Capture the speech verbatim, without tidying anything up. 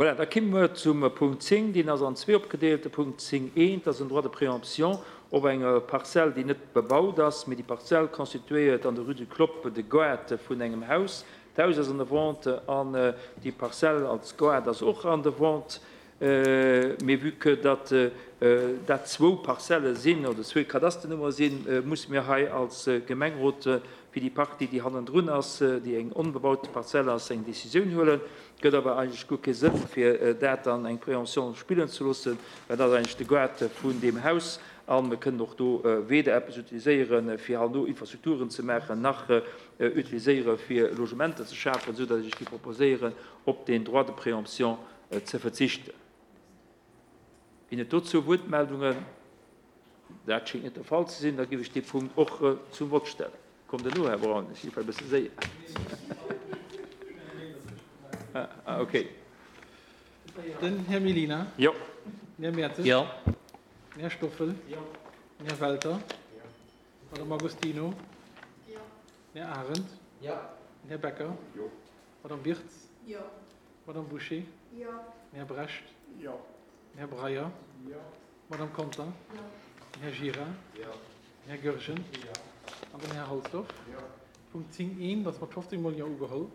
Voilà, da komme mer zum Punkt zéng. Deen ass an zwee opgedeelt. De Punkt zéng eent ass en Droit de préemption op eng Parzell, déi net bebaut ass, mee déi Parzell constituéiert an der Rue du Clopp de Gaart vun engem Haus. D'Haus ass an der Vente an déi Parzell als Gaart ass och an der Vente. Mee vue que datt dat zwou Parzelle sinn oder zwee Kadasternummere sinn, musse mir hei als Gemengerot fir déi Partie, déi hannendrun ass, déi eng onbebaute Parzell ass, eng Décisioun huelen. Et gëtt awer eigentlech guer kee Sënn, fir dat an eng Préemption spillen ze loossen, well dat ass eigentlech de Gaart vun deem Haus a mir kënnen och do weder eppes utiliséieren, fir herno Infrastrukturen ze maachen, nach utiliséiere fir Logementer ze schafen, esou datt ech géif proposéieren, op deen Droit de préemption ze verzichten. Ginn et dozou Wuertmeldungen? Dat schéngt net de Fall ze sinn. Da géif ech dee Punkt och zum Vott stellen. Kommt elo, Här Braun, ech si vläicht e bësse séier. Ah, okay. Den Här Mellina. Jo. Den Här Mertes. Jo. Den Här Stoffel. Jo. Den Här Welter. Jo. Madame Agostino. Jo. Den Här Arendt. Jo. Den Här Becker. Jo. Madame Birtz. Jo. Madame Bouché. Jo. Den Här Brecht. Jo. Den Här Breyer. Jo. Madame Conter. Jo. Den Här Gira. Jo. Den Här Goergen. Jo. An den Här Halsdorf. Jo. Punkt zéng eent ass mat fofzéng Mol Jo ugeholl.